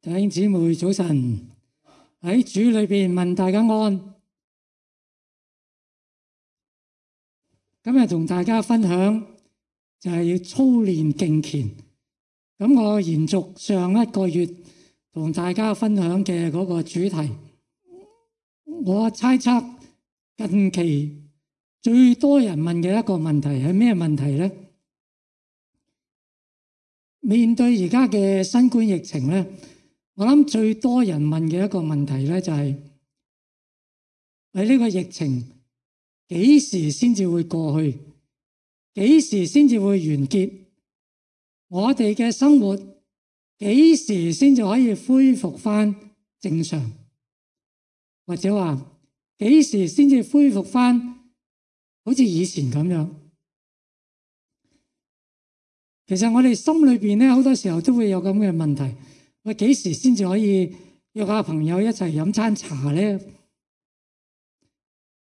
弟兄姊妹早晨，喺主裏邊問大家安。今日同大家分享就係要操練敬虔。咁我延續上一個月同大家分享嘅嗰個主題，我猜測近期最多人問嘅一個問題係咩問題呢？面對而家嘅新冠疫情呢，我諗最多人問嘅一個問題咧，就係喺呢個疫情幾時先至會過去？幾時先至會完結？我哋嘅生活幾時先至可以恢復翻正常？或者話幾時先至恢復翻好似以前咁樣？其實我哋心裏邊咧，好多時候都會有咁嘅問題。我幾時先至可以約下朋友一齊飲餐茶呢？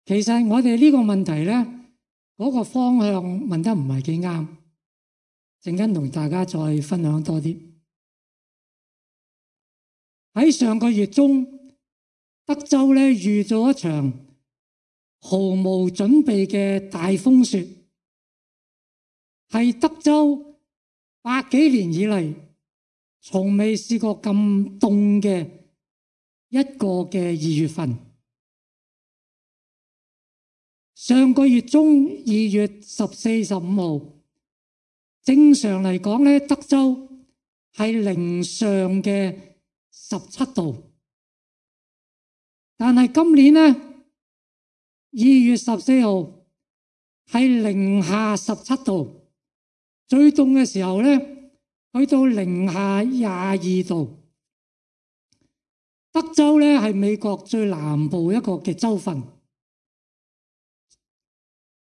其實我哋呢個問題呢，嗰個方向問得唔係幾啱。陣間同大家再分享多啲。喺上個月中，德州呢遇咗一場毫無準備嘅大風雪，係德州百幾年以嚟從未試過咁凍嘅一個嘅2月份。上個月中2月14、15號，正常嚟講咧，德州係零上嘅17度，但係今年咧2月14號係零下17度，最凍嘅時候咧，去到零下22度。德州咧係美國最南部一個嘅州份，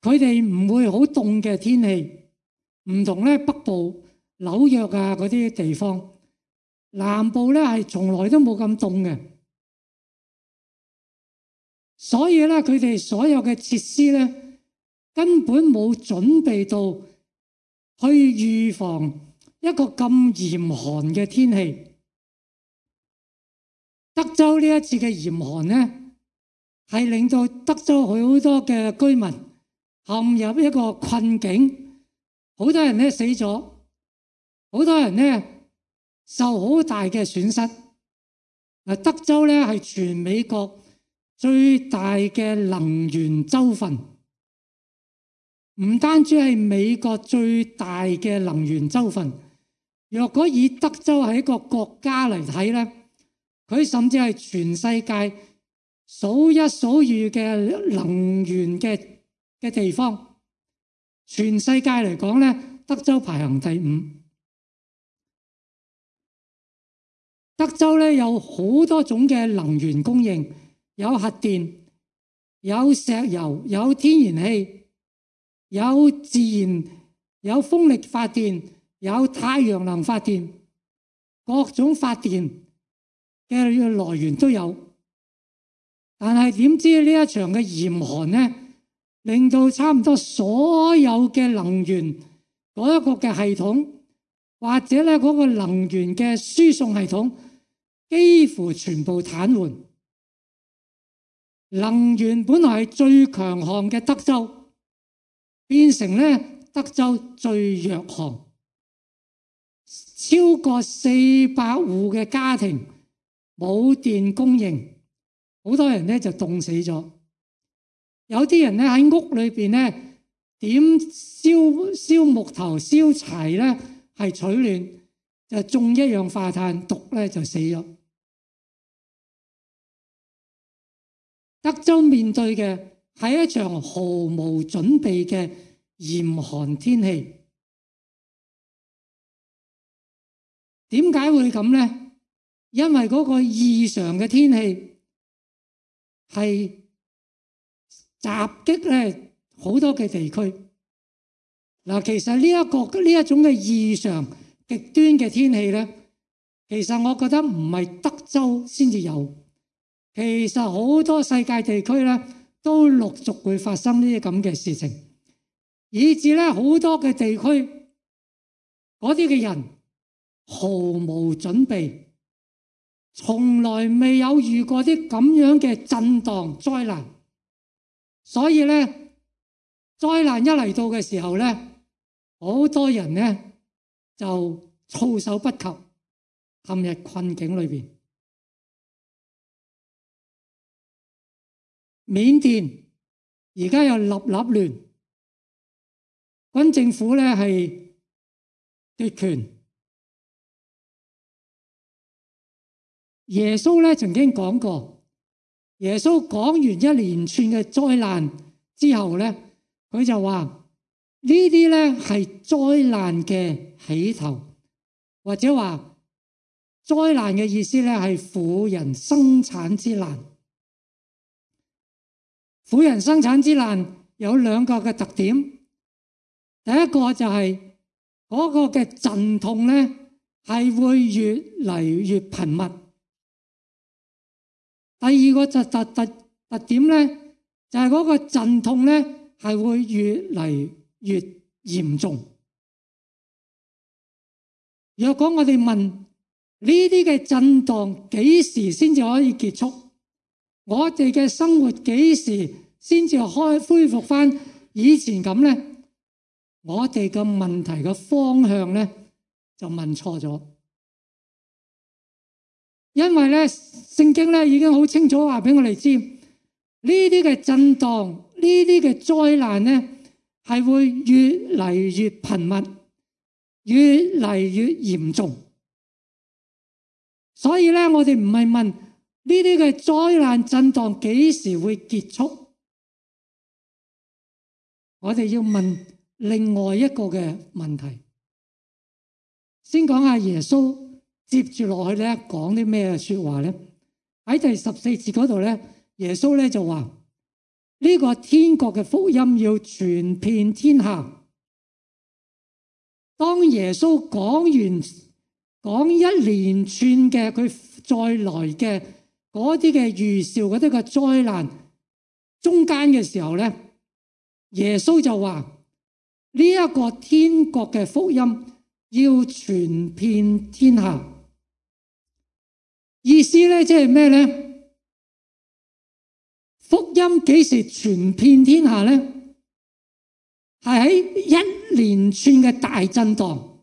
佢哋唔會好凍嘅天氣，唔同咧北部紐約啊嗰啲地方，南部咧係從來都冇咁凍嘅，所以咧佢哋所有嘅設施咧根本冇準備到去預防一個咁嚴寒嘅天氣。德州呢一次嘅嚴寒呢，係令到德州好多嘅居民陷入一個困境，好多人呢死咗，好多人呢受好大嘅損失。德州呢係全美國最大嘅能源州份，唔單止係美國最大嘅能源州份。若果以德州係一個國家嚟睇咧，佢甚至係全世界數一數二嘅能源嘅地方。全世界嚟講咧，德州排行第5。德州咧有好多種嘅能源供應，有核電、有石油、有天然氣、有自然、有風力發電、有太陽能發電，各種發電嘅來源都有。但係點知呢一場嘅嚴寒呢，令到差唔多所有嘅能源嗰一個嘅系統，或者咧嗰個能源嘅輸送系統，幾乎全部癱瘓。能源本來係最強項嘅德州，變成咧德州最弱項。超過400戶嘅家庭冇電供應，好多人咧就凍死咗。有啲人咧喺屋裏邊咧點燒木頭、燒柴咧係取暖，就中一氧化碳毒咧就死咗。德州面對嘅係一場毫無準備嘅嚴寒天氣。點解會咁呢？因為嗰個異常嘅天氣係襲擊咧好多嘅地區。嗱，其實呢一種嘅異常極端嘅天氣咧，其實我覺得唔係德州先至有，其實好多世界地區咧都陸續會發生呢啲咁嘅事情，以至咧好多嘅地區嗰啲嘅人毫無準備，從來未有遇過啲咁樣嘅震盪災難，所以咧災難一嚟到嘅時候咧，好多人咧就措手不及，陷入困境裏邊。緬甸而家又立亂，軍政府咧係奪權。耶穌咧曾經講過，耶穌講完一連串嘅災難之後咧，佢就話呢啲咧係災難嘅起頭，或者話災難嘅意思咧係婦人生產之難。婦人生產之難有兩個嘅特點，第一個就係嗰個嘅陣痛咧係會越嚟越頻密。第二個特點咧，就係嗰個陣痛咧係會越嚟越嚴重。若果我哋問呢啲嘅震盪幾時先至可以結束，我哋嘅生活幾時先至恢復翻以前咁咧？我哋嘅問題嘅方向咧就問錯咗。因為咧，聖經咧已經好清楚話俾我哋知，呢啲嘅震盪、呢啲嘅災難咧，係會越嚟越頻密、越嚟越嚴重。所以咧，我哋唔係問呢啲嘅災難震盪幾時會結束，我哋要問另外一個嘅問題。先講下耶穌。接住落去咧，講啲咩說話咧？喺第14節嗰度咧，耶穌咧就話：呢個天國嘅福音要傳遍天下。當耶穌講一連串嘅佢再來嘅嗰啲嘅預兆嗰啲嘅災難中間嘅時候咧，耶穌就話：呢一個天國嘅福音要傳遍天下。意思咧，即係咩咧？福音幾時傳遍天下咧？係喺一連串嘅大震盪、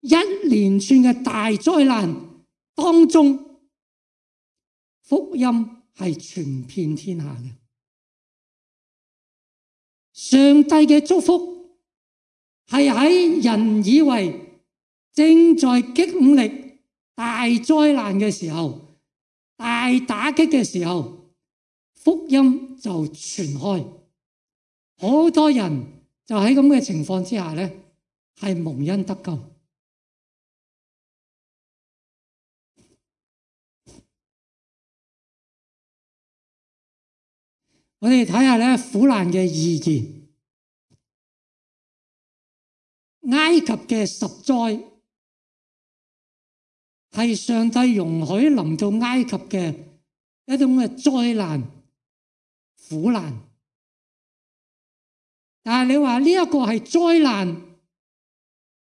一連串嘅大災難當中，福音係傳遍天下嘅。上帝嘅祝福係喺人以為正在經歷大災難嘅時候，大打擊嘅時候，福音就傳開，好多人就喺咁嘅情況之下咧，係蒙恩得救。我哋睇下咧苦難嘅意義，埃及嘅10災。係上帝容許臨到埃及嘅一種嘅災難、苦難。但係你話呢一個係災難，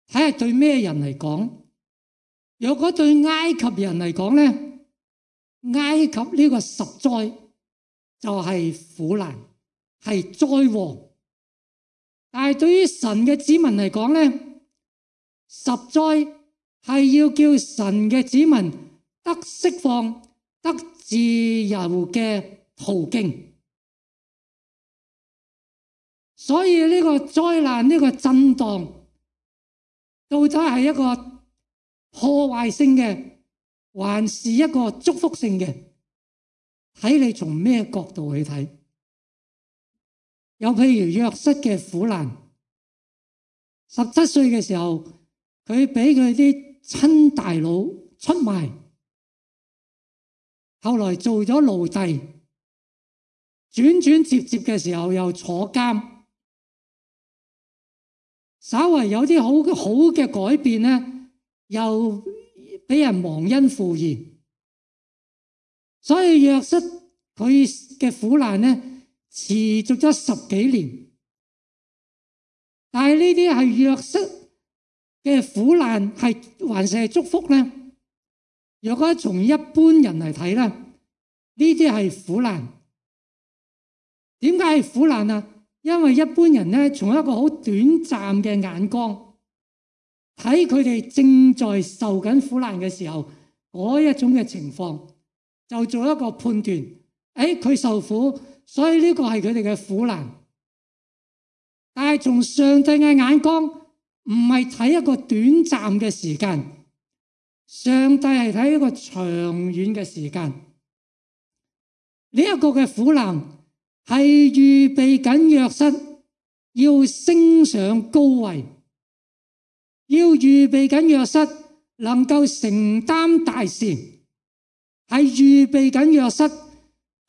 睇下對咩人嚟講？如果對埃及人嚟講咧，埃及呢個10災就係苦難，係災禍。但係對於神嘅子民嚟講咧，10災係要叫神嘅子民得釋放、得自由嘅途徑。所以呢個災難、呢個震盪，到底係一個破壞性嘅，還是一個祝福性嘅？睇你從咩角度去睇。有譬如約瑟嘅苦難，17歲嘅時候，佢俾佢啲親大佬出賣，後來做咗奴隸，轉轉接接嘅時候又坐監，稍為有啲好嘅改變咧，又俾人忘恩負義。所以約瑟佢嘅苦難咧持續咗10幾年，但係呢啲係約瑟嘅苦難係還是係祝福咧？若果從一般人嚟睇咧，呢啲係苦難。點解係苦難啊？因為一般人咧，從一個好短暫嘅眼光睇佢哋正在受緊苦難嘅時候，嗰一種嘅情況，就做一個判斷。佢受苦，所以呢個係佢哋嘅苦難。但係從上帝嘅眼光，唔係睇一個短暫嘅時間，上帝係睇一個長遠嘅時間。呢一個嘅苦難係預備緊約瑟要升上高位，要預備緊約瑟能夠承擔大事，係預備緊約瑟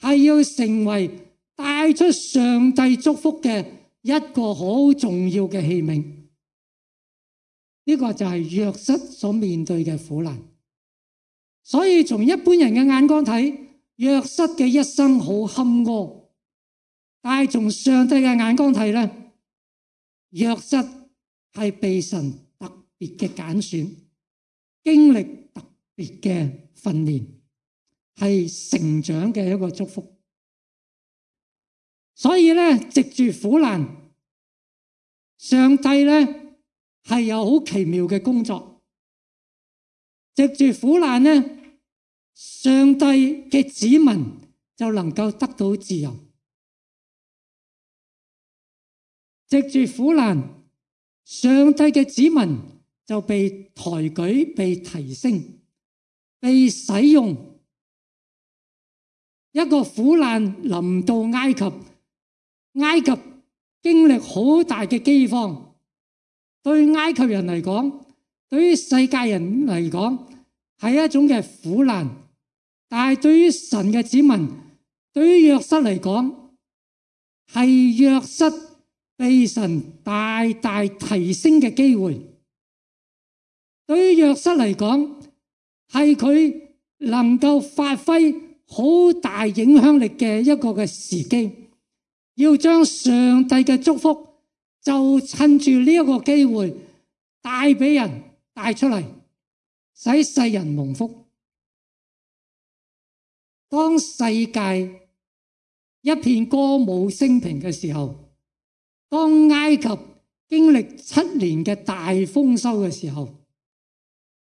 係要成為帶出上帝祝福嘅一個好重要嘅器皿。呢個就係約瑟所面對嘅苦難。所以從一般人嘅眼光睇，約瑟嘅一生好坎坷，但係從上帝嘅眼光睇咧，約瑟係被神特別嘅揀選，經歷特別嘅訓練，係成長嘅一個祝福。所以咧，藉住苦難，上帝咧係有好奇妙嘅工作。藉住苦難咧，上帝嘅子民就能夠得到自由。藉住苦難，上帝嘅子民就被抬舉、被提升、被使用。一個苦難臨到埃及，埃及經歷好大嘅饑荒。對埃及人嚟講，對於世界人嚟講，係一種嘅苦難。但係對於神嘅子民，對於約瑟嚟講，係約瑟被神大大提升嘅機會。對於約瑟嚟講，係佢能夠發揮好大影響力嘅一個嘅時機，要將上帝嘅祝福就趁住呢一個機會帶俾人，帶出嚟，使世人蒙福。當世界一片歌舞升平嘅時候，當埃及經歷7年嘅大豐收嘅時候，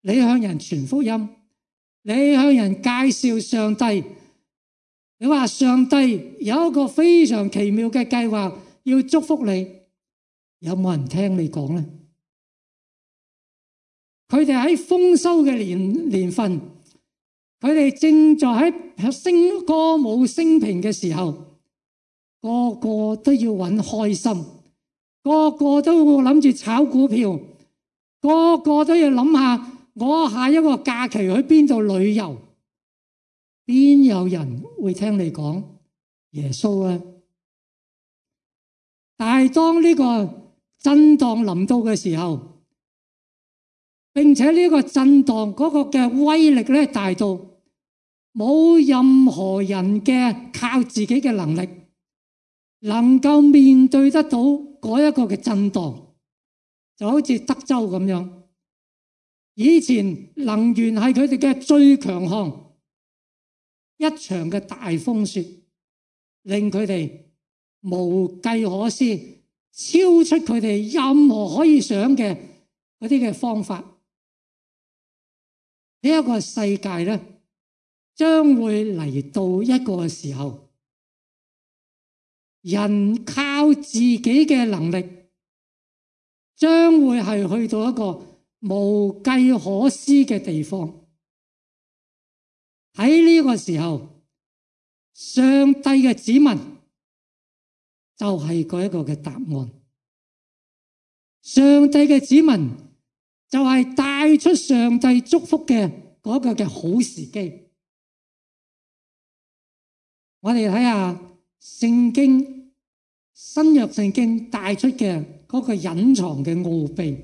你向人傳福音，你向人介紹上帝，你話上帝有一個非常奇妙嘅計劃要祝福你，有冇人聽你講呢？佢哋喺豐收嘅年份，佢哋正在喺歌舞升平嘅時候，個個都要揾開心，個個都會諗住炒股票，個個都要諗下我下一個假期去邊度旅遊。邊有人會聽你講耶穌啊？但係當呢個震盪臨到嘅時候，並且呢個震盪嗰個嘅威力咧大到冇任何人嘅靠自己嘅能力能夠面對得到嗰一個嘅震盪，就好似德州咁樣。以前能源係佢哋嘅最強項，一場嘅大風雪令佢哋無計可施，超出佢哋任何可以想嘅嗰啲嘅方法。呢一個世界咧，將會嚟到一個時候，人靠自己嘅能力，將會係去到一個無計可施嘅地方。喺呢個時候，上帝嘅子民就係嗰一個嘅答案。上帝嘅子民就係帶出上帝祝福嘅嗰個嘅好時機。我哋睇下聖經，新約聖經帶出嘅嗰個隱藏嘅奧秘。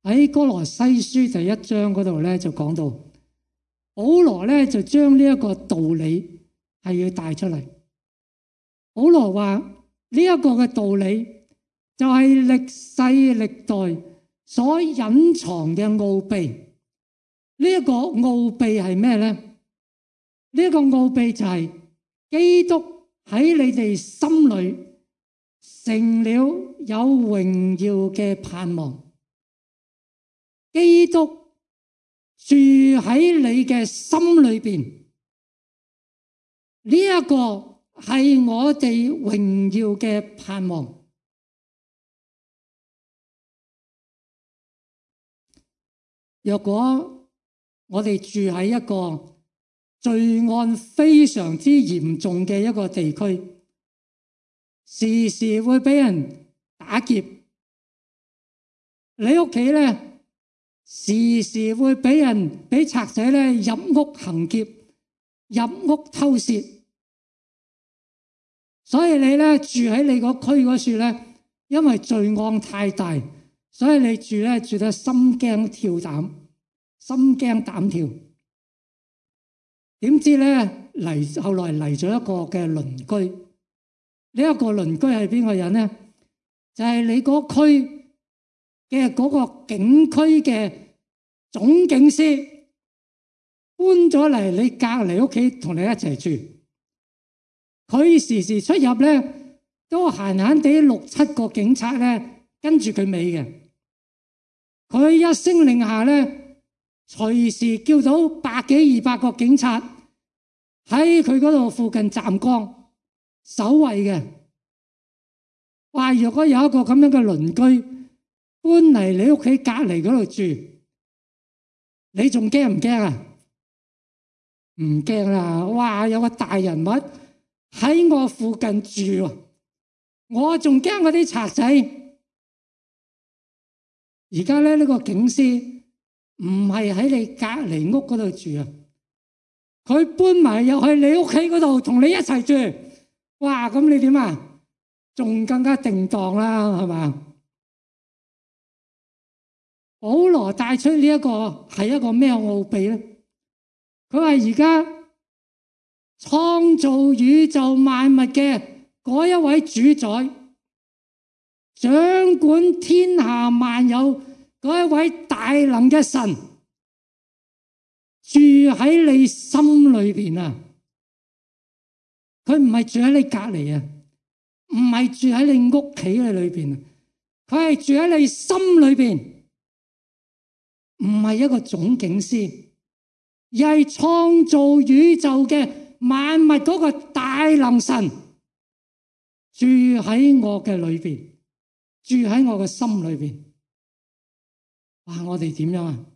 喺哥羅西書第1章嗰度咧就講到，保羅咧就將呢一個道理係要帶出嚟。保羅話呢一個嘅道理就係歷世歷代所隱藏嘅奧秘，呢一個奧秘係咩咧？呢一個奧秘就係基督喺你哋心裏成了有榮耀嘅盼望。基督住喺你嘅心裏邊，呢一個係我哋榮耀嘅盼望。若果我哋住喺一個罪案非常之嚴重嘅一個地區，時時會俾人打劫，你屋企咧時時會俾賊仔咧入屋行劫、入屋偷竊，所以你咧住喺你個區嗰處咧，因為罪案太大，所以你住得心驚跳膽、心驚膽跳。點知咧後來嚟咗一個嘅鄰居，呢一個鄰居係邊個人咧？就係你嗰區嘅嗰個警區嘅總警司搬咗嚟你隔離屋企同你一齊住。佢時時出入咧都閒閒地6、7個警察咧跟住佢尾嘅。佢一聲令下咧，隨時叫到100幾200個警察喺佢嗰度附近站崗守衛嘅。話若果有一個咁樣嘅鄰居搬嚟你屋企隔離嗰度住，你仲驚唔驚啊？唔驚啦！哇，有個大人物喺我附近住，我仲驚嗰啲賊仔。而家咧呢個警司唔係喺你隔離屋嗰度住啊，佢搬埋入去你屋企嗰度同你一齊住。哇！咁你點啊？仲更加定當啦，係嘛？保羅帶出呢一個係一個咩奧秘咧？佢話而家創造宇宙萬物嘅嗰一位主宰，掌管天下萬有嗰一位大能嘅神，住喺你心裏邊啊！佢唔係住喺你隔離啊，唔係住喺你屋企嘅裏邊啊，佢係住喺你心裏邊。唔係一個總警司，而係創造宇宙嘅萬物嗰個大能神住喺我嘅裏邊，住喺我嘅心裏邊。哇！我哋點樣啊？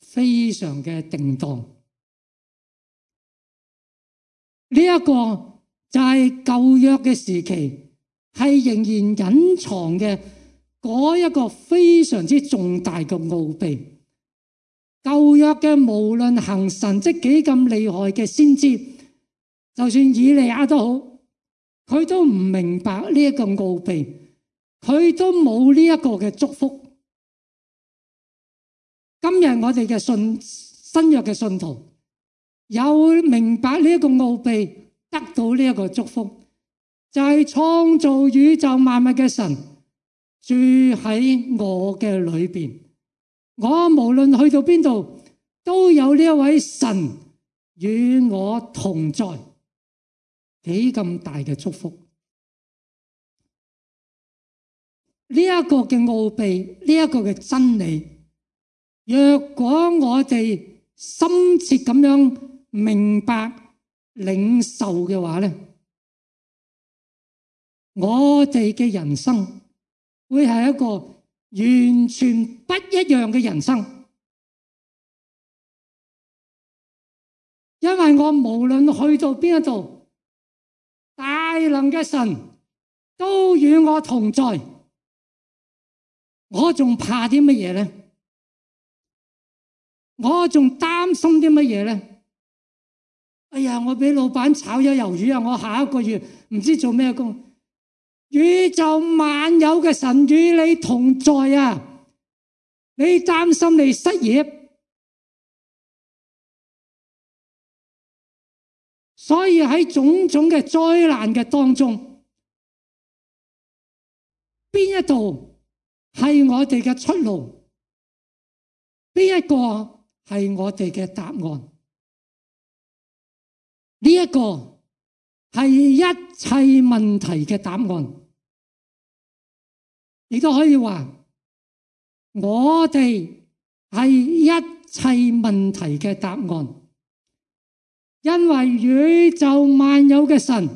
非常嘅定當。呢一個就係舊約嘅時期，係仍然隱藏嘅嗰一個非常之重大嘅奧秘。舊約嘅無論行神蹟幾咁厲害嘅先知，就算以利亞都好，佢都唔明白呢一個奧秘，佢都冇呢一個嘅祝福。今日我哋嘅新約嘅信徒有明白呢一個奧秘，得到呢一個祝福，就係創造宇宙萬物嘅神住喺我嘅裏邊，我無論去到邊度都有呢一位神與我同在，幾咁大嘅祝福。呢一個嘅奧秘，呢一個嘅真理，若果我哋深切咁樣明白領受嘅話咧，我哋嘅人生會係一個完全不一樣嘅人生。因為我無論去到邊一度，大能嘅神都與我同在，我仲怕啲乜嘢咧？我仲擔心啲乜嘢咧？哎呀，我俾老闆炒咗魷魚啊！我下一個月唔知做咩工。宇宙萬有嘅神與你同在啊！你擔心你失業，所以喺種種嘅災難嘅當中，邊一度係我哋嘅出路？邊一個係我哋嘅答案。呢一個係一切問題嘅答案，亦都可以話我哋係一切問題嘅答案，因為宇宙萬有嘅神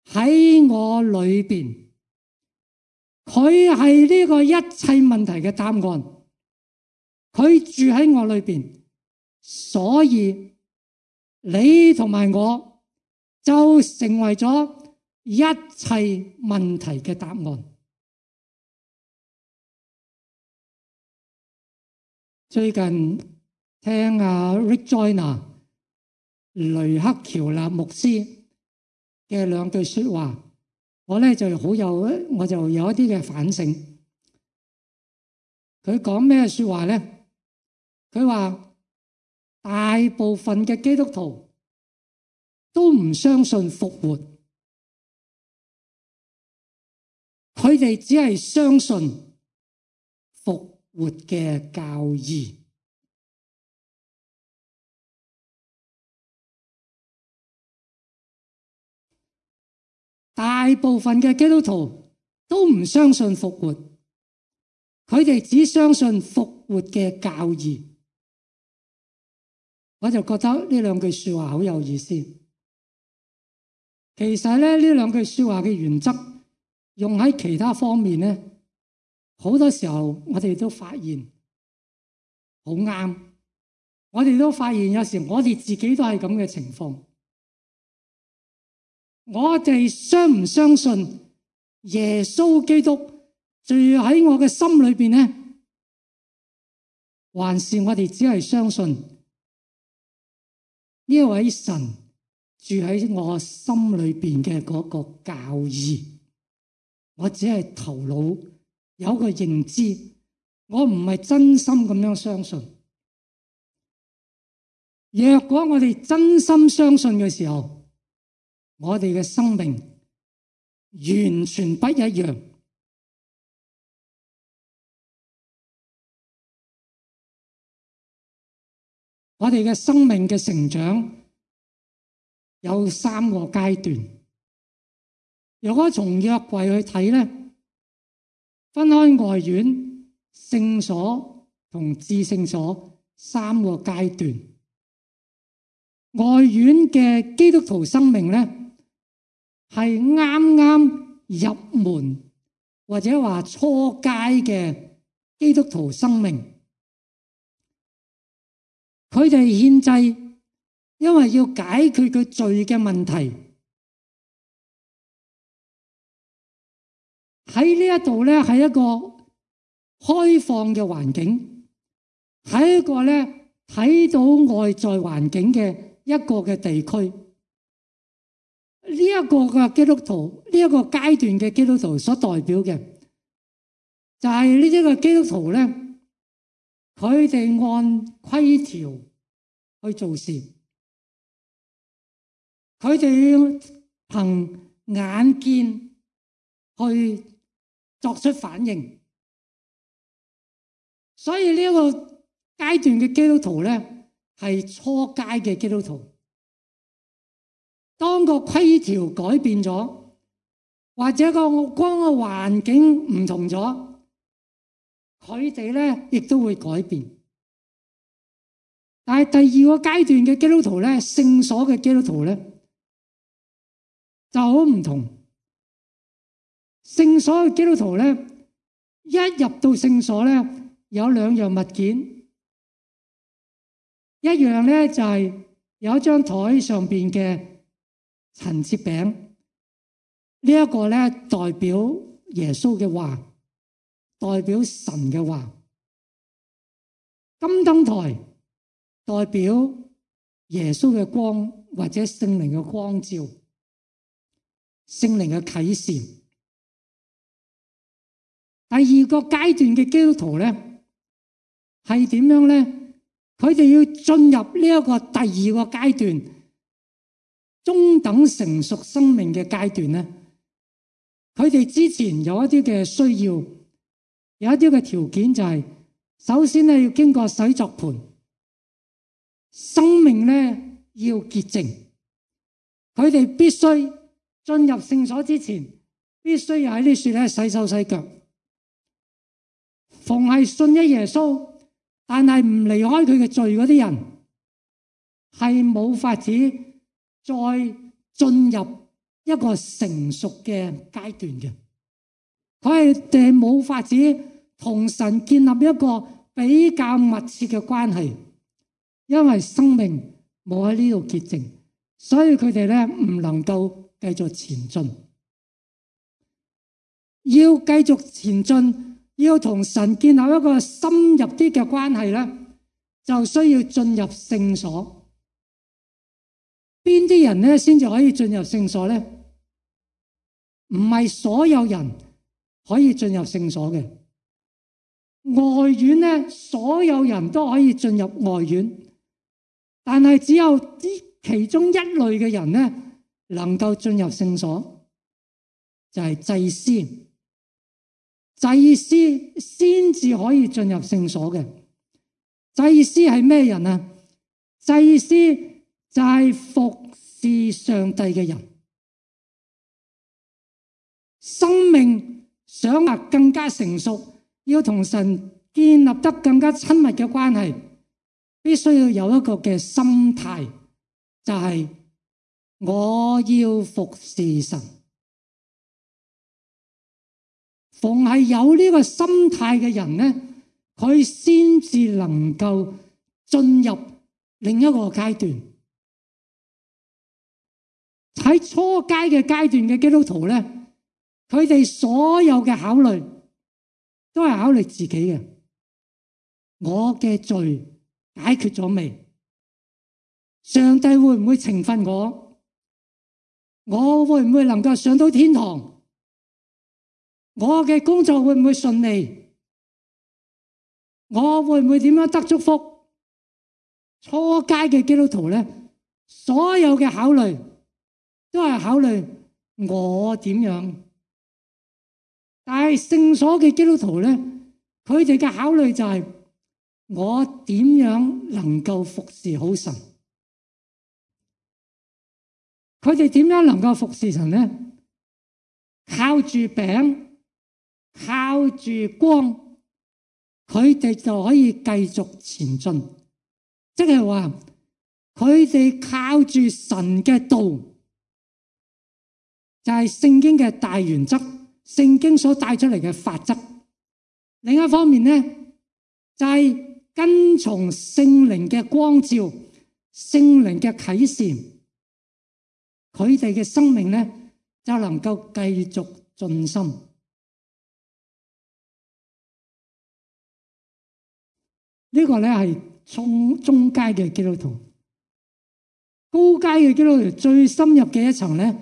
喺我裏邊，佢係呢個一切問題嘅答案，佢住喺我裏邊，所以你同埋我就成為咗一切問題嘅答案。最近聽Rick Joyner 雷克喬納牧師嘅兩句說話，我就有一啲嘅反省。佢講咩說話呢？佢話大部分嘅基督徒都唔相信復活，佢哋只係相信復活嘅教義。大部分嘅基督徒都唔相信復活，佢哋只相信復活嘅教義。我就覺得呢兩句說話好有意思。其實呢兩句說話嘅原則用喺其他方面呢，好多時候我哋都發現好啱。我哋都發現有時我哋自己都係咁嘅情況。我哋相唔相信耶穌基督住喺我嘅心裏邊呢？還是我哋只係相信呢一位神住喺我心裏邊嘅嗰個教義？我只係頭腦有個認知，我唔係真心咁樣相信。若果我哋真心相信嘅時候，我哋嘅生命完全不一樣。我哋嘅生命嘅成長有3個階段。如果從約櫃去睇呢，分開外院、聖所同至聖所3個階段。外院嘅基督徒生命呢，係啱啱入門或者話初階嘅基督徒生命。佢哋獻祭，因為要解決佢罪嘅問題。喺呢一度咧，係一個開放嘅環境，係一個咧睇到外在環境嘅一個嘅地區。呢一個嘅基督徒，呢一個階段嘅基督徒所代表嘅，就係呢一個基督徒咧，佢哋按規條去做事，佢哋憑眼見去作出反應。所以呢一個階段嘅基督徒咧，係初階嘅基督徒。當個規條改變咗，或者個環境唔同咗，佢哋咧亦都會改變。但係第2個階段嘅基督徒咧，聖所嘅基督徒咧就好唔同。聖所嘅基督徒咧，一入到聖所咧，有2樣物件，一樣咧就係有一張台上邊嘅陳設餅，呢一個咧代表耶穌嘅話，代表神嘅話。金燈台代表耶穌嘅光或者聖靈嘅光照，聖靈嘅啟示。第2個階段嘅基督徒咧係點樣咧？佢哋要進入呢一個第2個階段，中等成熟生命嘅階段咧，佢哋之前有一啲嘅需要，有一啲嘅條件，就係首先咧要經過洗濯盆，生命咧要潔淨。佢哋必須進入聖所之前，必須要喺呢處咧洗手洗腳。逢係信咗耶穌，但係唔離開佢嘅罪嗰啲人，係冇法子再進入一個成熟嘅階段嘅。佢哋冇法子同神建立一個比較密切嘅關係，因為生命冇喺呢度潔淨，所以佢哋咧唔能夠繼續前進。要繼續前進，要同神建立一個深入啲嘅關係咧，就需要進入聖所。邊啲人咧先至可以進入聖所咧？唔係所有人可以進入聖所嘅。外院咧，所有人都可以進入外院，但係只有其中一類嘅人咧能夠進入聖所，就係祭司。祭司先至可以進入聖所嘅。祭司係咩人啊？祭司就係服侍上帝嘅人。生命想話更加成熟，要同神建立得更加親密嘅關係，必須要有一個嘅心態，就係我要服侍神。逢係有呢個心態嘅人咧，佢先至能夠進入另一個階段。喺初階嘅階段嘅基督徒咧，佢哋所有嘅考慮都係考慮自己嘅。我嘅罪解決咗未？上帝會唔會懲罰我？我會唔會能夠上到天堂？我嘅工作會唔會順利？我會唔會點樣得祝福？初階嘅基督徒咧，所有嘅考慮都係考慮我點樣。但係聖所嘅基督徒咧，佢哋嘅考慮就係我點樣能夠服侍好神。佢哋點樣能夠服侍神咧？靠住餅，靠住光，佢哋就可以繼續前進。即係話佢哋靠住神嘅道，就係聖經嘅大原則，聖經所帶出嚟嘅法則。另一方面咧，就係跟從聖靈嘅光照，聖靈嘅啟示，佢哋嘅生命咧就能夠繼續進深。呢個咧係中階嘅基督徒。高階嘅基督徒最深入嘅一層咧，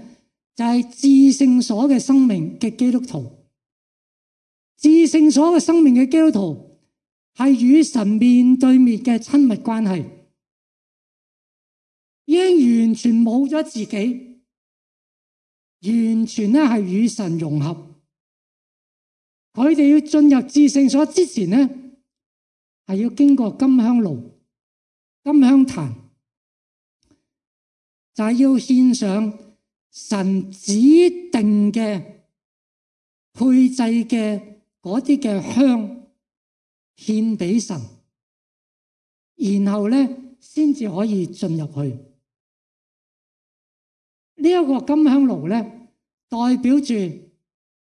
就係至聖所嘅生命嘅基督徒。至聖所嘅生命嘅基督徒係與神面對面嘅親密關係，已經完全冇咗自己，完全咧係與神融合。佢哋要進入至聖所之前咧，係要經過金香爐、金香壇，就係要獻上神指定嘅配祭嘅嗰啲嘅香獻俾神，然後咧先至可以進入去。呢一個金香爐咧，代表住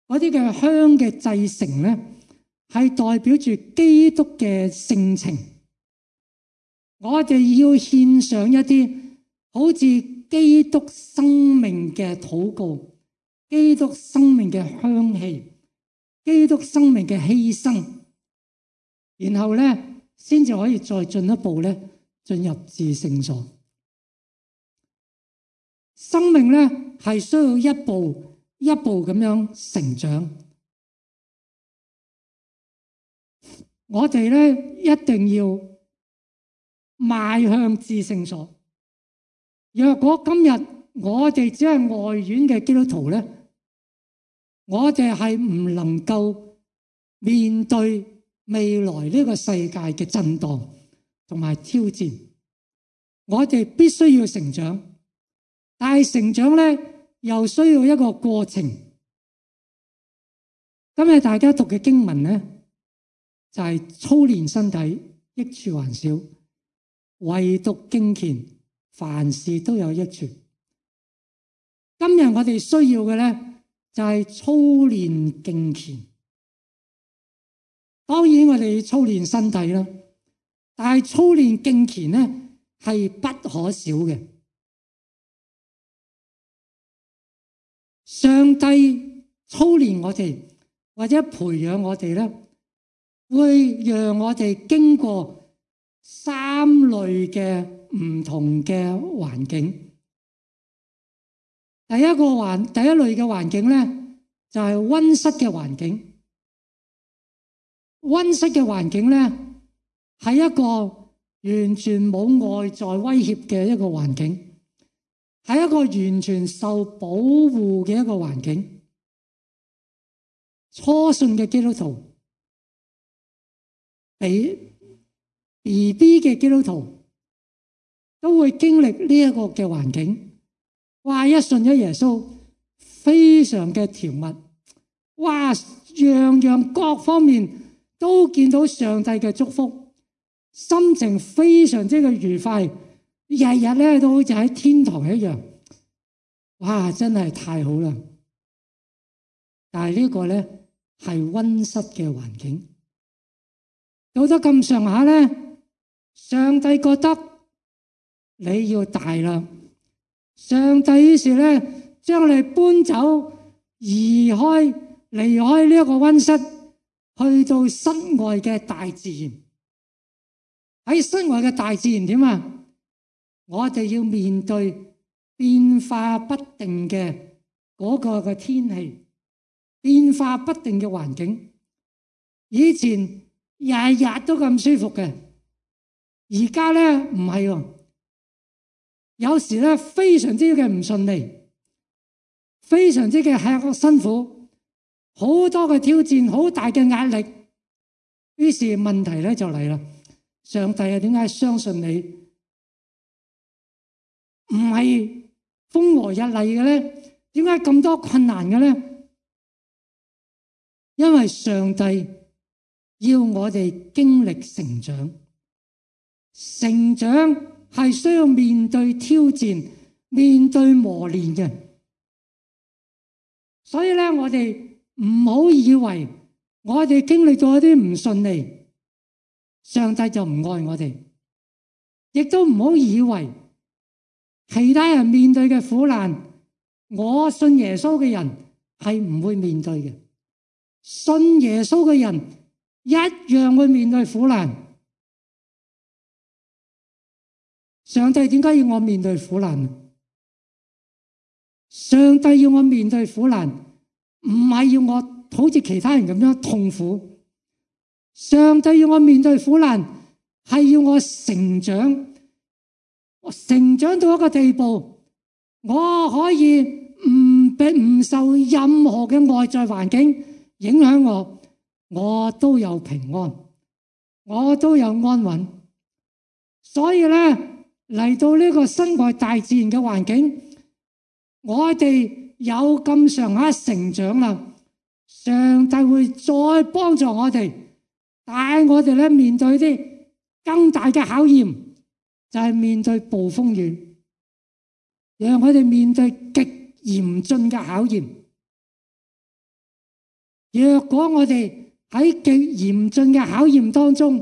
嗰啲嘅香嘅製成咧，係代表住基督嘅性情。我哋要獻上一啲好似基督生命嘅禱告，基督生命嘅香氣，基督生命嘅犧牲，然後咧先至可以再進一步咧進入至聖所。生命咧係需要一步一步咁樣成長。我哋咧一定要邁向至聖所。若果今日我哋只係外院嘅基督徒咧，我哋係唔能夠面對未來呢個世界嘅震盪同埋挑戰。我哋必須要成長，但係成長咧又需要一個過程。今日大家讀嘅經文咧就係操練身體，益處還少，唯獨敬虔，凡事都有益處。今日我哋需要嘅咧就係操練敬虔。當然我哋要操練身體啦，但係操練敬虔咧係不可少嘅。上帝操練我哋或者培養我哋咧，會讓我哋經過三類嘅唔同嘅環境。第一類嘅環境咧就係溫室嘅環境。溫室嘅環境咧係一個完全冇外在威脅嘅一個環境，係一個完全受保護嘅一個環境。初信嘅基督徒，BB 嘅基督徒都會經歷呢一個嘅環境。哇！一信咗耶穌，非常嘅甜蜜。哇！樣樣各方面都見到上帝嘅祝福。心情非常之嘅愉快，日日咧都好似喺天堂一樣。哇！真係太好啦！但係呢個咧係溫室嘅環境。到咗咁上下咧，上帝覺得你要大啦，上帝於是咧將你搬走，離開呢一個溫室，去到室外嘅大自然。喺室外嘅大自然點啊？我哋要面對變化不定嘅嗰個嘅天氣，變化不定嘅環境。以前日日都咁舒服嘅，而家咧唔係喎。有時咧非常之嘅唔順利，非常之嘅辛苦，好多嘅挑戰，好大嘅壓力。於是問題咧就嚟啦。上帝啊，點解相信你唔係風和日麗嘅咧？點解咁多困難嘅咧？因為上帝要我哋經歷成長，成長係需要面對挑戰、面對磨練嘅。所以咧，我哋唔好以為我哋經歷咗一啲唔順利，上帝就唔愛我哋，亦都唔好以為其他人面對嘅苦難，我信耶穌嘅人係唔會面對嘅。信耶穌嘅人一樣會面對苦難。上帝點解要我面對苦難？上帝要我面對苦難，唔係要我好似其他人咁樣痛苦。上帝要我面對苦難，係要我成長，成長到一個地步，我可以唔受任何嘅外在環境影響我都有平安，我都有安穩。所以咧，嚟到呢個身外大自然嘅環境，我哋有咁上下成長啦，上帝會再幫助我哋。帶我哋咧面對啲更大嘅考驗，就係面對暴風雨，讓我哋面對極嚴峻嘅考驗。若果我哋喺極嚴峻嘅考驗當中，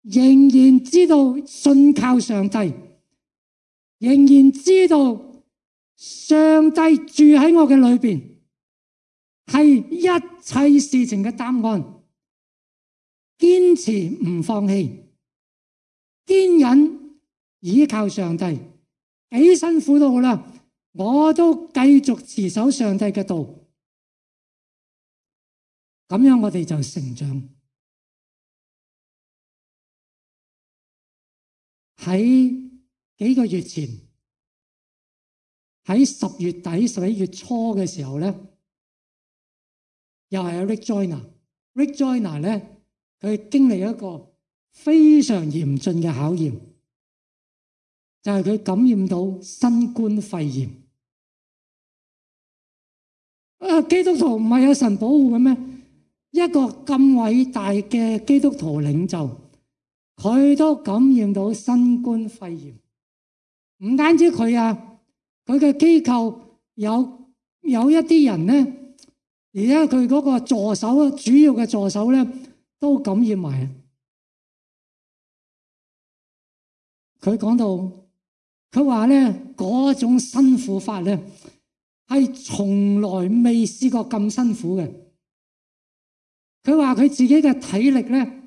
仍然知道信靠上帝，仍然知道上帝住喺我嘅裏邊，係一切事情嘅答案。堅持唔放棄，堅忍倚靠上帝，幾辛苦都好啦，我都繼續持守上帝嘅道。咁樣我哋就成長。喺幾個月前，喺10月底、11月初嘅時候咧，又係有 Rick Joyner 咧。佢經歷一個非常嚴峻嘅考驗，就係佢感染到新冠肺炎。基督徒唔係有神保護嘅咩？一個咁偉大嘅基督徒領袖，佢都感染到新冠肺炎。唔單止佢啊，佢嘅機構有一啲人咧，而家佢嗰個助手，主要嘅助手咧，都感染埋。佢講到，佢話咧嗰種辛苦法咧，係從來未試過咁辛苦嘅。佢話佢自己嘅體力咧，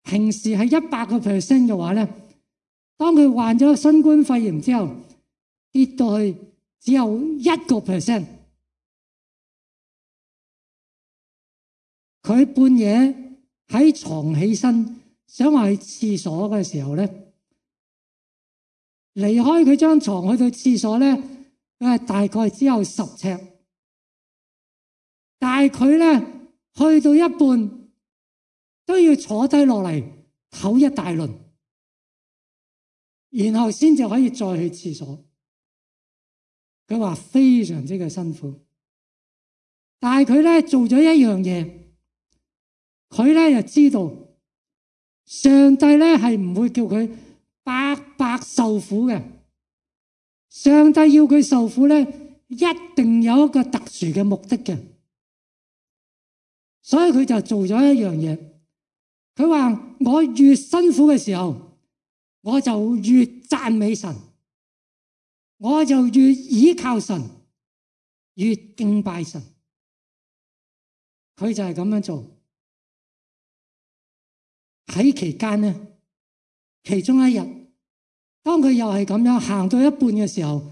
平時係100% 嘅話咧，當佢患咗新冠肺炎之後，跌到去只有1%。佢半夜喺床起身，想話去廁所嘅時候咧，離開佢張床去到廁所咧，佢係大概只有10尺，但係佢咧去到一半都要坐低落嚟唞一大輪，然後先至可以再去廁所。佢話非常之嘅辛苦，但係佢咧做咗一樣嘢，佢咧就知道上帝咧係唔會叫佢白白受苦嘅。上帝要佢受苦咧，一定有一個特殊嘅目的嘅。所以佢就做咗一樣嘢，佢話我越辛苦嘅時候，我就越讚美神，我就越倚靠神，越敬拜神。佢就係咁樣做。喺期間咧，其中一日，當佢又係咁樣行到一半嘅時候，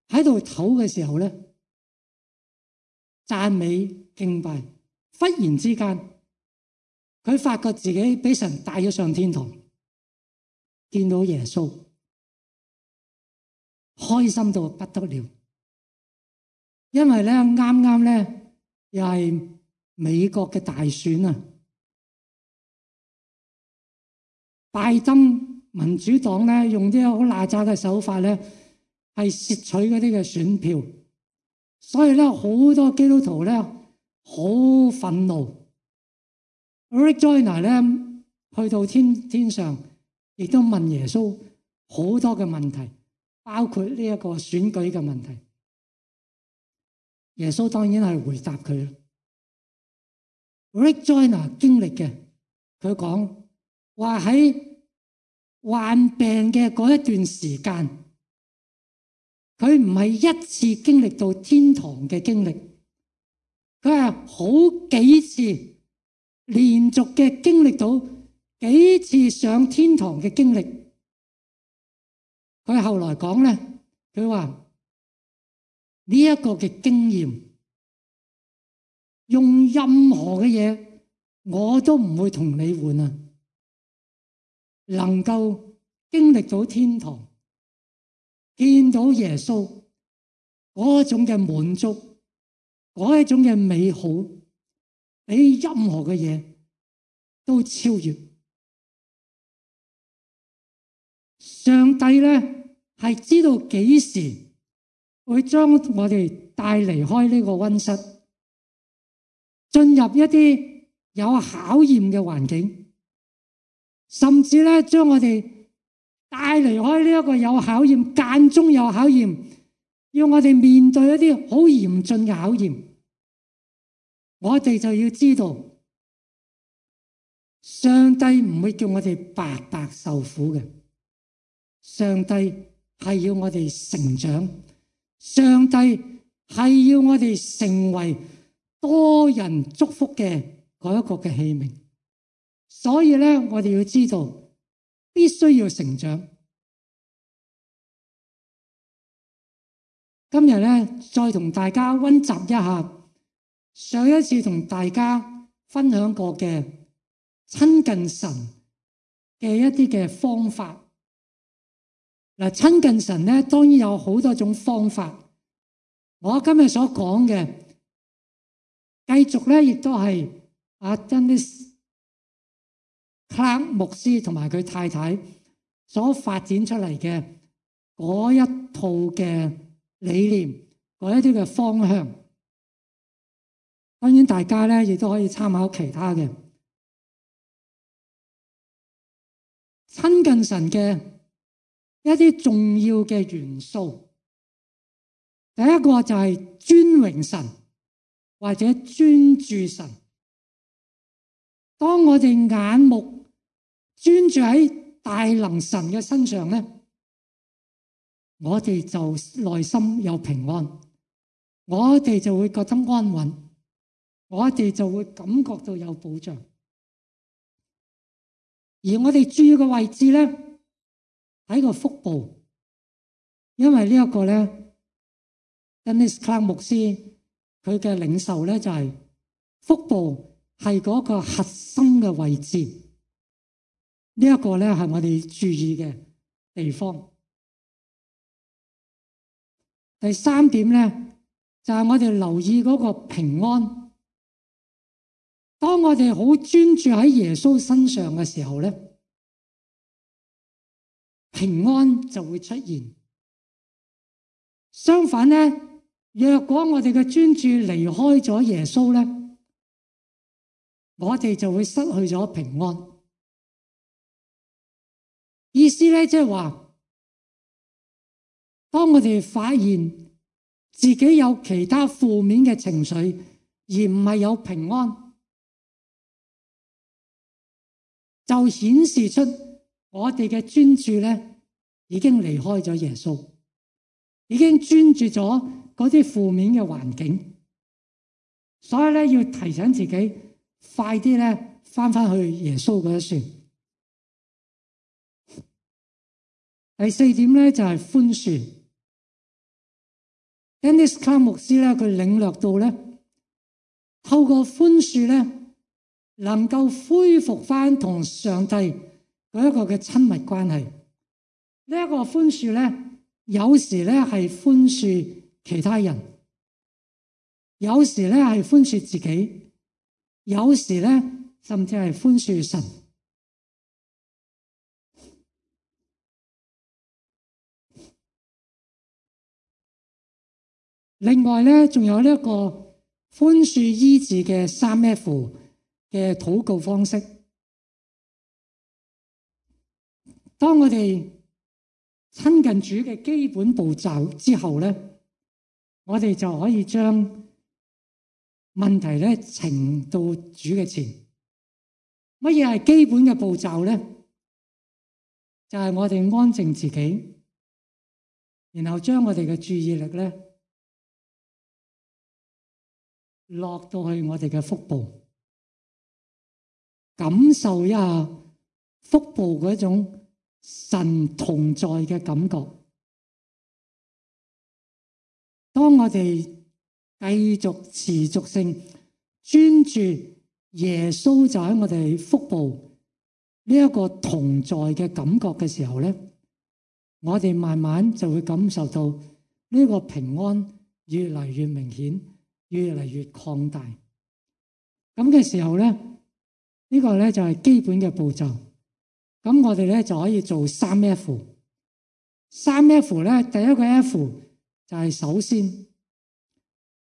喺度唞嘅時候咧，讚美敬拜，忽然之間，佢發覺自己俾神帶咗上天堂，見到耶穌，開心到不得了。因為咧啱啱咧又係美國嘅大選啊，拜登民主黨咧用啲好邋遢嘅手法咧，係竊取嗰啲嘅選票，所以咧好多基督徒咧好憤怒。Rick Joyner 咧去到天上，亦都問耶穌好多嘅問題，包括呢一個選舉嘅問題。耶穌當然係回答佢。Rick Joyner 經歷嘅，佢講話喺患病嘅嗰一段時間，佢唔係一次經歷到天堂嘅經歷，佢係好幾次連續嘅經歷到幾次上天堂嘅經歷。佢後來講咧，佢話呢一個嘅經驗，用任何嘅嘢我都唔會同你換啊！能夠經歷到天堂，見到耶穌嗰種嘅滿足，嗰一種嘅美好，比任何嘅嘢都超越。上帝咧係知道幾時會將我哋帶離開呢個溫室，進入一啲有考驗嘅環境，甚至咧將我哋帶離開呢一個有考驗、間中有考驗，要我哋面對一啲好嚴峻嘅考驗。我哋就要知道，上帝唔會叫我哋白白受苦嘅。上帝係要我哋成長，上帝係要我哋成為多人祝福嘅嗰一個嘅器皿。所以咧，我哋要知道，必須要成長。今日咧，再同大家溫習一下上一次同大家分享過嘅親近神嘅一啲嘅方法。嗱，親近神咧，當然有好多種方法。我今日所講嘅，繼續咧，亦都係Dennis 克拉牧師同埋佢太太所發展出嚟嘅嗰一套嘅理念，嗰一啲嘅方向。當然大家咧亦都可以參考其他嘅親近神嘅一啲重要嘅元素。第一個就係尊榮神或者專注神。當我哋眼目專注喺大能神嘅身上咧，我哋就內心有平安，我哋就會覺得安穩，我哋就會感覺到有保障。而我哋注意嘅位置咧，喺個腹部，因為呢一個咧 Dennis Clark 牧師佢嘅領受咧就係腹部係嗰個核心嘅位置，呢一個咧係我哋注意嘅地方。第三點咧就係我哋留意嗰個平安。當我哋好專注喺耶穌身上嘅時候咧，平安就會出現。相反咧，若果我哋嘅專注離開咗耶穌咧，我哋就會失去咗平安。意思咧即係話，當我哋發現自己有其他負面嘅情緒，而唔係有平安，就顯示出我哋嘅專注咧已經離開咗耶穌，已經專注咗嗰啲負面嘅環境。所以咧要提醒自己，快啲咧翻去耶穌嗰一船。第四點咧就係寬恕。Dennis Clark 牧師咧佢領略到咧，透過寬恕咧，能夠恢復翻同上帝嗰一個嘅親密關係。呢一個寬恕咧，有時咧係寬恕其他人，有時咧係寬恕自己，有時咧甚至係寬恕神。另外咧，仲有呢一個寬恕醫治嘅3F嘅禱告方式。當我哋親近主嘅基本步驟之後咧，我哋就可以將問題咧呈到主嘅前。乜嘢係基本嘅步驟咧？就係我哋安靜自己，然後將我哋嘅注意力咧落到去我哋嘅腹部，感受一下腹部嗰種神同在嘅感覺。當我哋繼續持續性專注耶穌就喺我哋腹部呢一個同在嘅感覺嘅時候咧，我哋慢慢就會感受到呢個平安越嚟越明顯，越嚟越擴大。咁嘅時候咧，呢個咧就係基本嘅步驟。咁我哋咧就可以做3F。3F 咧，第一個 F 就係首先，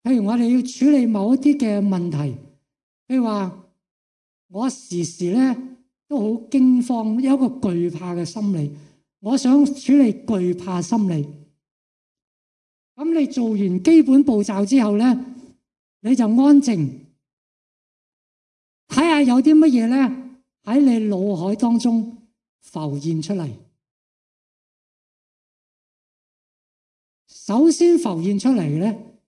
譬如我哋要處理某一啲嘅問題，譬如話我時時咧都好驚慌，有一個懼怕嘅心理，我想處理懼怕心理。咁你做完基本步驟之後咧，你就安靜，睇下有啲乜嘢咧喺你腦海當中浮現出嚟。首先浮現出嚟嘅咧，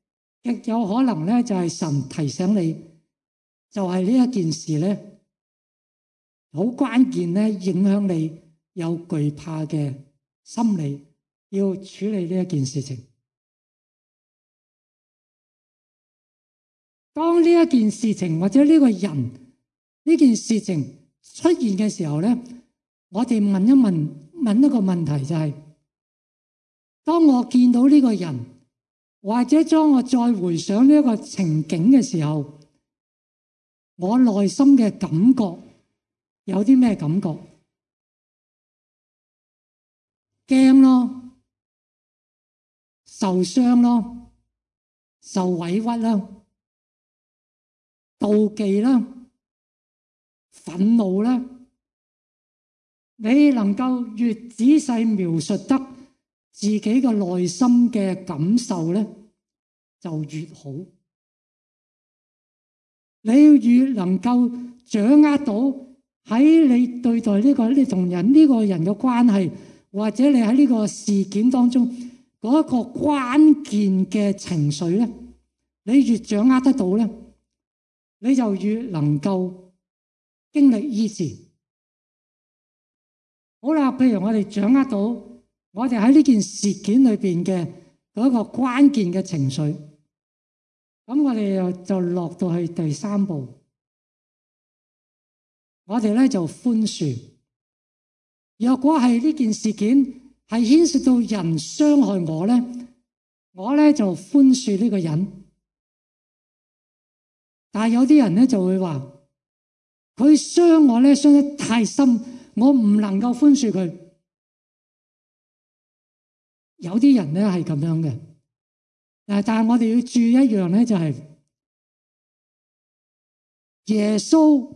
極有可能咧就係神提醒你，就係呢一件事咧，好關鍵咧，影響你有懼怕嘅心理，要處理呢一件事情。當呢一件事情或者呢個人呢件事情出現嘅時候咧，我哋問一個問題，就係當我見到呢個人，或者當我再回想呢一個情景嘅時候，我內心嘅感覺有啲咩感覺？驚咯，受傷咯，受委屈啦，妒忌啦，憤怒啦。你能夠越仔細描述得自己嘅內心嘅感受咧，就越好。你越能夠掌握到喺你對待你同呢個人嘅關係，或者你喺呢個事件當中嗰一個關鍵嘅情緒咧，你越掌握得到咧，你就越能夠經歷醫治。好啦，譬如我哋掌握到我哋喺呢件事件裏邊嘅嗰個關鍵嘅情緒，咁我哋就落到去第三步，我哋咧就寬恕。若果係呢件事件係牽涉到人傷害我咧，我咧就寬恕呢個人。但係有啲人咧就會話，佢傷我咧傷得太深，我唔能夠寬恕佢。有啲人咧係咁樣嘅，但係我哋要注意一樣咧，就係耶穌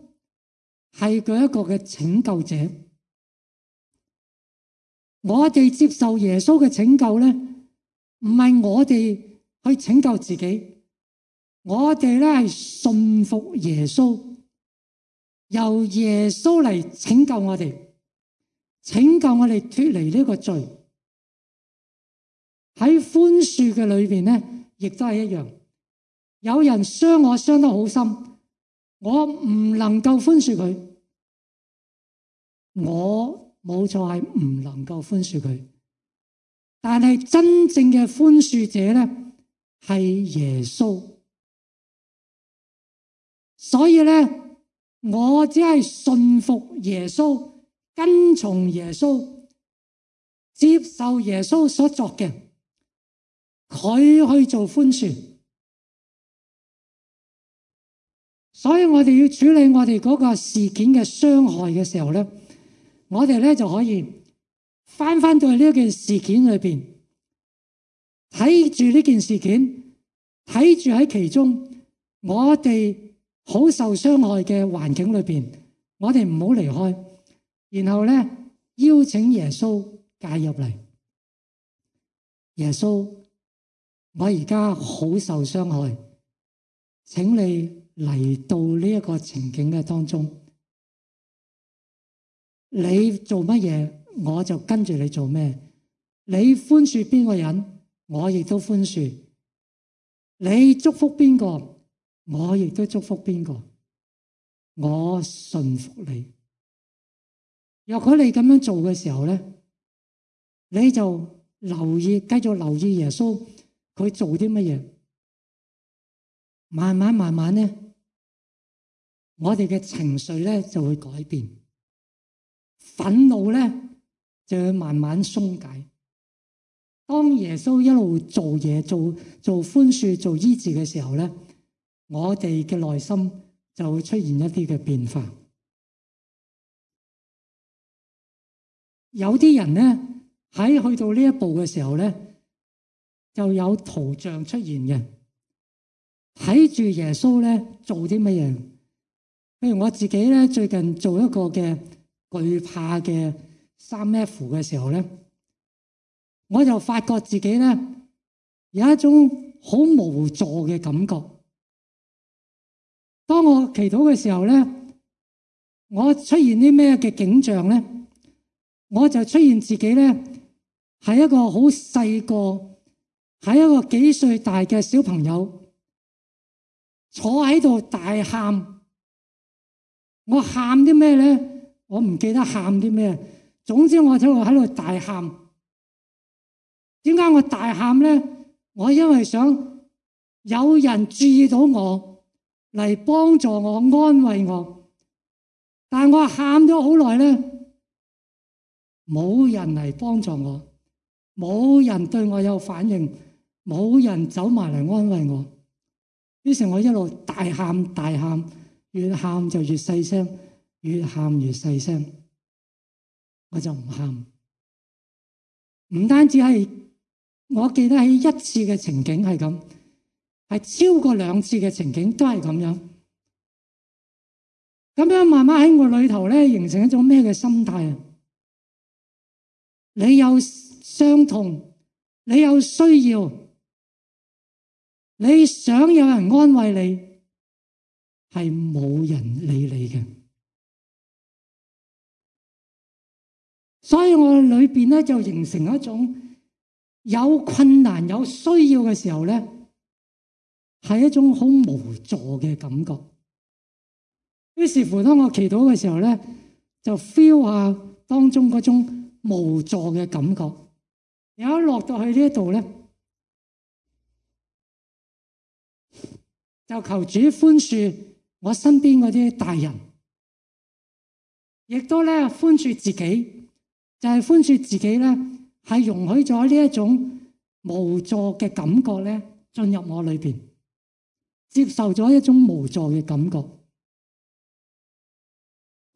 係佢一個嘅拯救者。我哋接受耶穌嘅拯救咧，唔係我哋去拯救自己，我哋咧係信服耶穌，由耶穌嚟拯救我哋，拯救我哋脫離呢個罪。喺寬恕嘅裏邊咧，亦都係一樣。有人傷我傷得好深，我唔能夠寬恕佢，我冇錯係唔能夠寬恕佢。但係真正嘅寬恕者咧係耶穌。所以咧，我只係信服耶穌，跟從耶穌，接受耶穌所作嘅，佢去做寬恕。所以我哋要處理我哋嗰個事件嘅傷害嘅時候咧，我哋咧就可以翻到去呢件事件裏邊，睇住呢件事件，睇住喺其中我哋好受傷害嘅環境裏邊，我哋唔好離開，然後咧邀請耶穌介入嚟。耶穌，我而家好受傷害，請你嚟到呢一個情景嘅當中，你做乜嘢我就跟住你做咩，你寬恕邊個人我亦都寬恕，你祝福邊個我亦都祝福邊個，我信服你。若果你咁樣做嘅時候咧，你就繼續留意耶穌佢做啲乜嘢，慢慢咧，我哋嘅情緒咧就會改變，憤怒咧就會慢慢鬆解。當耶穌一路做嘢，做寬恕、做醫治嘅時候咧，我哋嘅內心就會出現一啲嘅變化。有啲人咧喺去到呢一步嘅時候咧，就有圖像出現嘅，睇住耶穌咧做啲乜嘢。譬如我自己咧最近做一個嘅懼怕嘅3F 嘅時候咧，我就發覺自己咧有一種好無助嘅感覺。當我祈禱嘅時候咧，我出現啲咩嘅景象咧？我就出現自己咧係一個好細個，係一個幾歲大嘅小朋友，坐喺度大喊。我喊啲咩咧？我唔記得喊啲咩。總之我就喺度大喊。點解我大喊咧？我因為想有人注意到我嚟幫助我、安慰我。但我喊咗好耐咧，冇人嚟幫助我，冇人對我有反應，冇人走埋嚟安慰我。於是我一路大喊，越喊就越細聲，越喊越細聲，我就唔喊。唔單止係，我記得喺一次嘅情景係咁，係超過2次嘅情景都係咁樣。咁樣慢慢喺我裏頭咧，形成一種咩嘅心態啊？你有傷痛，你有需要，你想有人安慰你，係冇人理你嘅。所以我裏邊咧就形成一種有困難、有需要嘅時候咧，係一種好無助嘅感覺。於是乎，當我祈禱嘅時候咧，就 feel 下當中嗰種無助嘅感覺。然後落到去呢一度咧，就求主寬恕我身邊嗰啲大人，亦都咧寬恕自己，就係寬恕自己咧，係容許咗呢一種無助嘅感覺咧進入我裏邊，接受咗一種無助嘅感覺。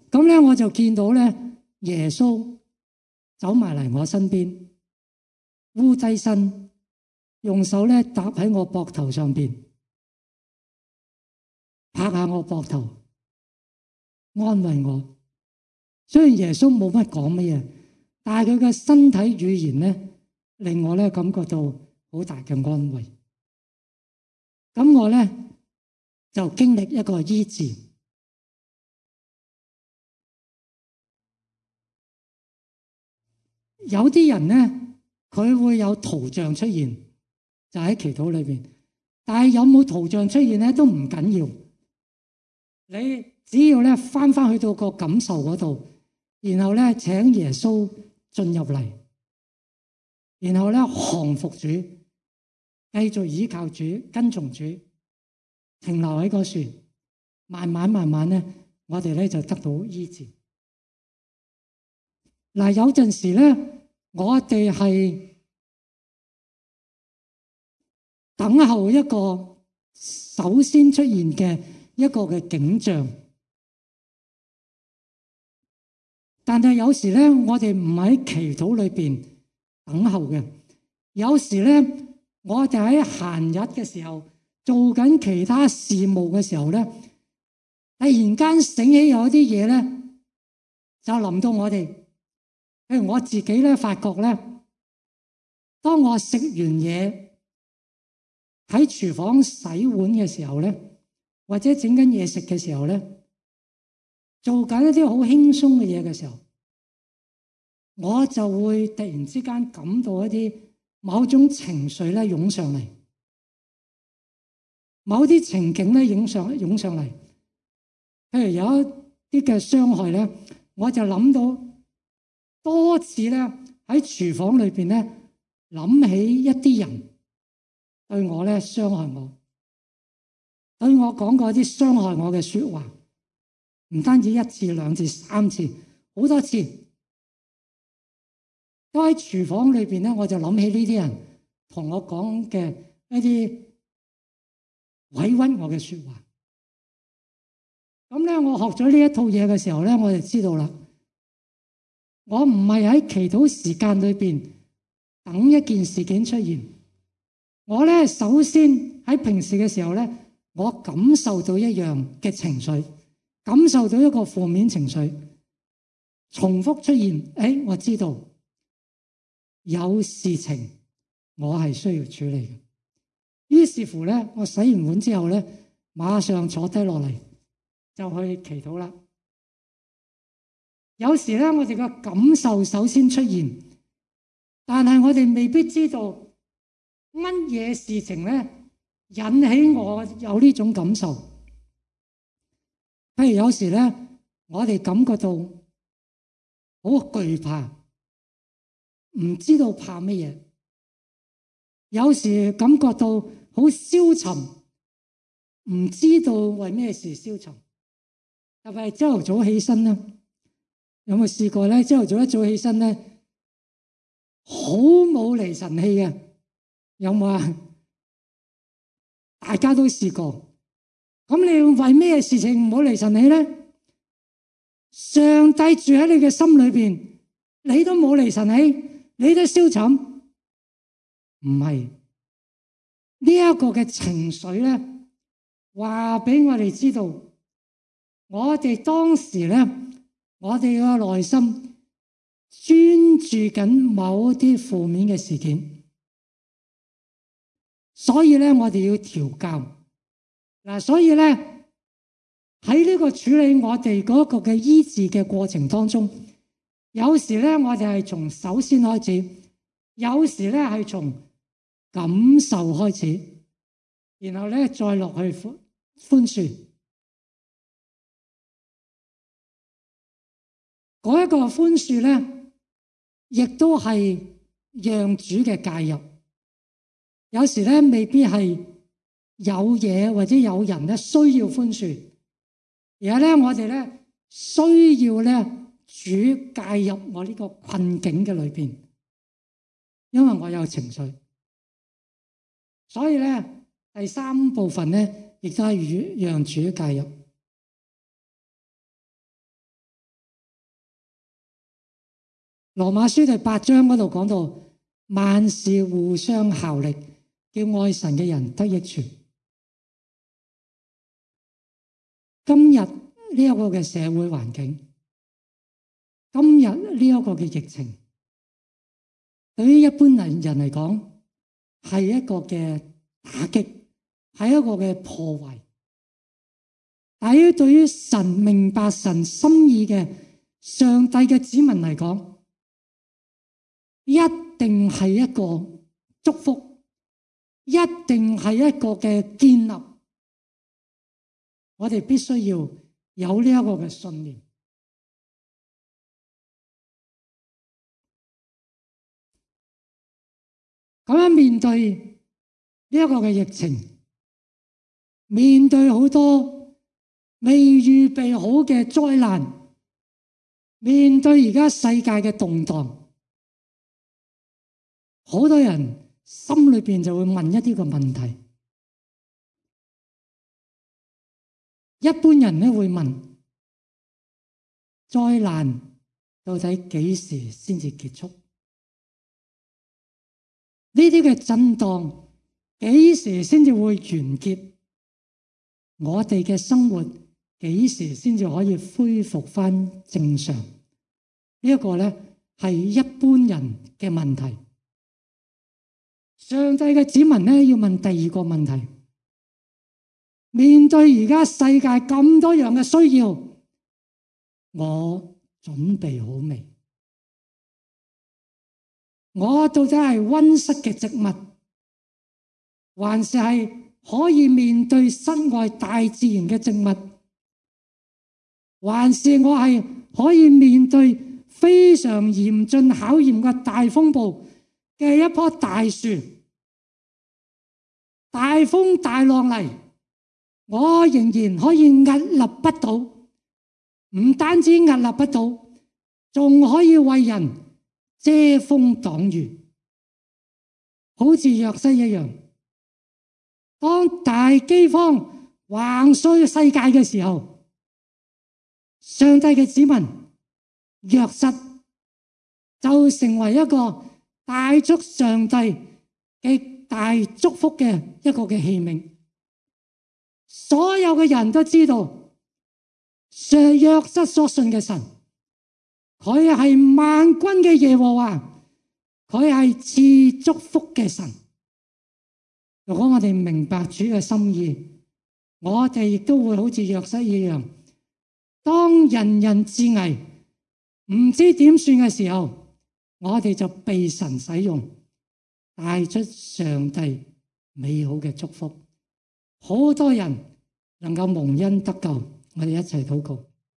咁咧我就見到咧耶穌走埋嚟我身邊，烏低身，用手咧搭喺我膊頭上邊，拍下我膊頭，安慰我。雖然耶穌冇乜講乜嘢，但係佢嘅身體語言咧，令我咧感覺到好大嘅安慰。咁我咧就經歷一個醫治。有啲人咧，佢會有圖像出現，就喺祈禱裏邊。但係有冇圖像出現咧，都唔緊要。你只要咧翻去到個感受嗰度，然後咧請耶穌進入嚟，然後咧降服主，繼續依靠主，跟從主，停留喺個樹，慢慢咧，我哋咧就得到醫治。嗱，有陣時咧，我哋係等候一個首先出現嘅一個嘅景象，但係有時咧，我哋唔喺祈禱裏邊等候嘅。有時咧，我哋喺閒日嘅時候，做緊其他事務嘅時候咧，突然間醒起有一啲嘢咧，就臨到我哋。譬如我自己咧，發覺咧，當我食完嘢喺廚房洗碗嘅時候咧，或者整緊嘢食嘅時候咧，做緊一啲好輕鬆嘅嘢嘅時候，我就會突然之間感到一啲某種情緒咧湧上嚟，某啲情景咧湧上嚟。譬如有一啲嘅傷害咧，我就諗到多次咧喺廚房裏邊咧諗起一啲人對我咧傷害我，對我講過一啲傷害我嘅說話，唔單止1次、2次、3次，好多次都喺廚房裏邊咧，我就諗起呢啲人同我講嘅一啲委屈我嘅說話。咁咧，我學咗呢一套嘢嘅時候咧，我就知道啦。我唔係喺祈禱時間裏邊等一件事件出現，我咧首先喺平時嘅時候咧，我感受到一樣嘅情緒，感受到一個負面情緒重複出現，我知道有事情我係需要處理嘅。於是乎咧，我洗完碗之後咧，馬上坐低落嚟就去祈禱啦。有時咧，我哋嘅感受首先出現，但係我哋未必知道乜嘢事情咧引起我有呢種感受。譬如有時咧，我哋感覺到好懼怕，唔知道怕乜嘢。有時感覺到好消沉，唔知道為咩事消沉。特別係朝頭早起身咧。有冇試過咧？朝頭早一早起身咧，好冇離神氣嘅，有冇啊？大家都試過。咁你為咩事情唔好離神氣咧？上帝住喺你嘅心裏邊，你都冇離神起，你都消沉，唔係呢一個嘅情緒咧，話俾我哋知道，我哋當時咧，我哋嘅內心專注緊某啲負面嘅事件，所以咧我哋要調教嗱，所以咧。喺呢個處理我哋嗰個嘅醫治嘅過程當中，有時咧我哋係從首先開始，有時咧係從感受開始，然後咧再落去寬恕。嗰一個寬恕咧，亦都係讓主嘅介入。有時咧未必係有嘢或者有人咧需要寬恕。而係咧，我哋咧需要咧主介入我呢個困境嘅裏邊，因為我有情緒，所以咧第三部分咧亦都係讓主介入。羅馬書第8章嗰度講到，萬事互相效力，叫愛神嘅人得益處。今日呢一個嘅社會環境，今日呢一個嘅疫情，對於一般人嚟講係一個嘅打擊，係一個嘅破壞。但係對於神明白神心意嘅上帝嘅子民嚟講，一定係一個祝福，一定係一個嘅建立。我哋必須要有呢一個嘅信念。咁樣面對呢一個嘅疫情，面對好多未預備好嘅災難，面對而家世界嘅動盪，好多人心裏邊就會問一啲個問題。一般人咧會問：災難到底幾時先至結束？呢啲嘅震盪幾時先至會完結？我哋嘅生活幾時先至可以恢復返正常？呢一個咧係一般人嘅問題。上帝嘅子民咧要問第二個問題。面對而家世界咁多樣嘅需要，我準備好未？我到底係溫室嘅植物，還是係可以面對身外大自然嘅植物？還是我係可以面對非常嚴峻考驗嘅大風暴嘅一棵大樹？大風大浪嚟，我仍然可以屹立不倒，唔單止屹立不倒，仲可以為人遮風擋雨，好似約瑟一樣。當大饑荒橫掃世界嘅時候，上帝嘅子民約瑟就成為一個帶出上帝嘅大祝福嘅一個嘅器皿。所有嘅人都知道，約瑟所信嘅神，佢係萬軍嘅耶和華，佢係賜祝福嘅神。如果我哋明白主嘅心意，我哋亦都會好似約瑟一樣，當人人自危，唔知點算嘅時候，我哋就被神使用，帶出上帝美好嘅祝福。好多人能夠蒙恩得救，我哋一齊禱告。